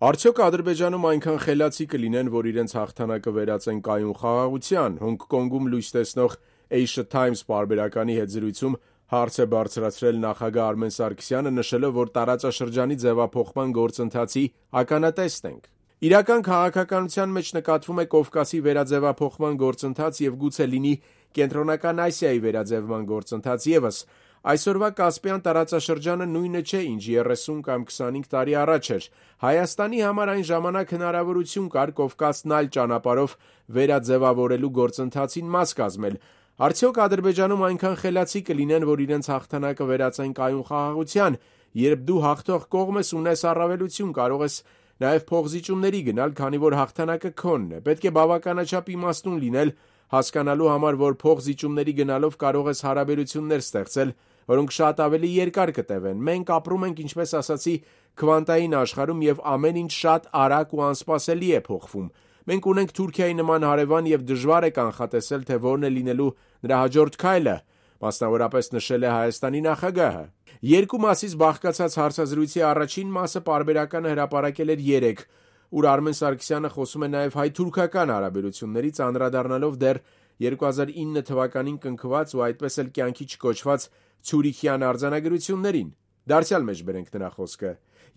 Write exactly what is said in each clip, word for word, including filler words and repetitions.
Արդյոք Ադրբեջանում այնքան խելացի կլինեն, որ իրենց հաղթանակը վերածեն կայուն խաղաղության։ Հոնգկոնգում լույս տեսնող Asia Times պարբերականի հետ զրույցում հարց է բարձրացրել նախագահ Արմեն Սարգսյանը, նշելով, որ տարածաշրջանի ձևափոխման գործընթացի ականատեսն ենք։ Իրական քաղաքականության մեջ նկատվում է Կովկասի վերաձևափոխման գործընթաց և գուցե լինի Կենտրոնական Ասիայի վերաձևման գործընթաց ևս։ Այսօրվա Կասպիան տարածաշրջանը նույնը չէ, ինչ երեսուն կամ քսանհինգ տարի առաջ էր։ Հայաստանի համար այն ժամանակ հնարավորություն կար Կովկասն այլ ճանապարհով վերաձևավորելու գործընթացին մաս կազմել։ Արդյոք Ադրբեջանում այնքան խելացի կլինեն, որ իրենց հաղթանակը վերածեն կայուն խաղաղության։ Երբ դու հաղթող կողմ ես, ունես առավելություն, կարող ես նաև փոխզիջումների գնալ, քանի որ հաղթանակը քոնն է։ Պետք է բավականաչափ իմաստուն լինել, հասկանալու համար, որ փոխզիջումների գնալով կարող ես հարաբերություններ ստեղծել, որոնք շատ ավելի երկար կտևեն։ Մենք ապրում ենք, ինչպես ասացի, քվանտային աշխարհում և ամեն ինչ շատ արագ ու անսպասելի է փոխվում։ Մենք ունենք Թուրքիայի նման հարևան և դժվար է կանխատեսել, թե որն է լինելու նրա հաջորդ քայլը, մասնավորապես նշել է Հայաստանի նախագահը։ Երկու մասից բաղկացած հարցազրույցի առաջին մասը պարբերականը հրապարակել էր երեկ, ուր Արմեն Սարգսյանը խոսում է նաև հայ-թուրքական հարաբերություններից, անդրադառնալով դեռ երկու հազար ինը թվականին կնքված ու այդպես էլ կյանքի չկոչված Ցյուրիխյան արձանագրություններին։ Դարձյալ մեջ բերենք նրա խոսքը.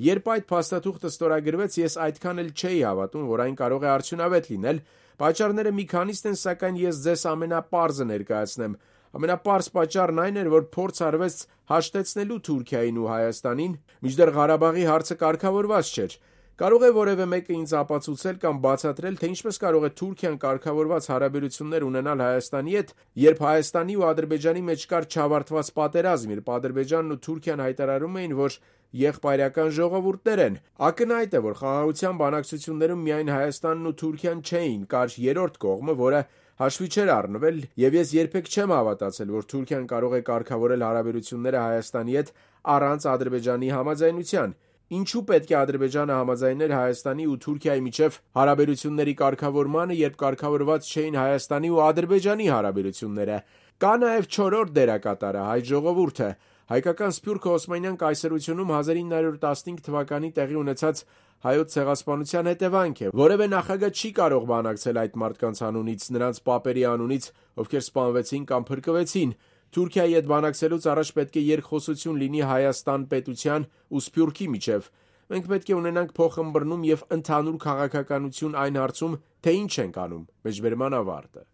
«Երբ այդ փաստաթուղթը ստորագրվեց, ես այդքան էլ չէի հավատում, որ այն կարող է արդյունավետ լինել։ Պատճառները մի քանիստ են, սակայն ես ձեզ ամենապարզը ներկայացնեմ։ Ամենապարզ պատճառն այն էր, որ փորձ արվեց հաշտեցնելու Թուրքիային ու Հայաստանին, մինչդեռ Ղարաբաղի հարցը կարգավորված չէր։ Կարող է որևէ մեկը ինձ ապացուցել կամ բացատրել, թե ինչպես կարող է Թուրքիան կարգավորված հարաբերություններ ունենալ Հայաստանի հետ, երբ Հայաստանի ու Ադրբեջանի մեջ կար չավարտված պատերազմ, երբ Ադրբեջանն ու Թուրքիան հայտարարում էին, որ եղբայրական ժողովուրդներ են։ Ակնհայտ է, որ խաղաղության բանակցություններում միայն Հայաստանն ու Թուրքիան չէին, կար երրորդ կողմը, որը հաշվի չէր առնվել, և ես երբեք չեմ հավատացել, որ Թուրքիան կարող է կարգավորել հարաբերությունները Հայաստանի հետ առանց Ադրբեջանի համաձայնության։ Ինչու պետք է Ադրբեջանը համաձայներ Հայաստանի ու Թուրքիայի միջև հարաբերությունների կարգավորմանը, երբ կարգավորված չէին Հայաստանի ու Ադրբեջանի հարաբերությունները։ Կա նաև չորրորդ դերակատարը՝ հայ ժողովուրդը։ Հայկական Սփյուռքը Օսմանյան կայսրությունում հազար ինը հարյուր տասնհինգ թվականին տեղի ունեցած հայոց ցեղասպանության հետևանք է։ Որևէ նախագահ չի կարող բանակցել այդ մարդկանց անունից, նրանց պապերի անունից, ովքեր սպանվեցին կամ փրկվեցին։ Թուրքիայի հետ բանակցելուց առաջ պետք է երկխոսություն լինի Հայաստան պետության ու Սփյուռքի միջև։ Մենք պետք է ունենանք փոխըմբռնում և ընդհանուր քաղաքականություն այն հարցում, թե ինչ ենք անում։ Մեջբերման ավարտը։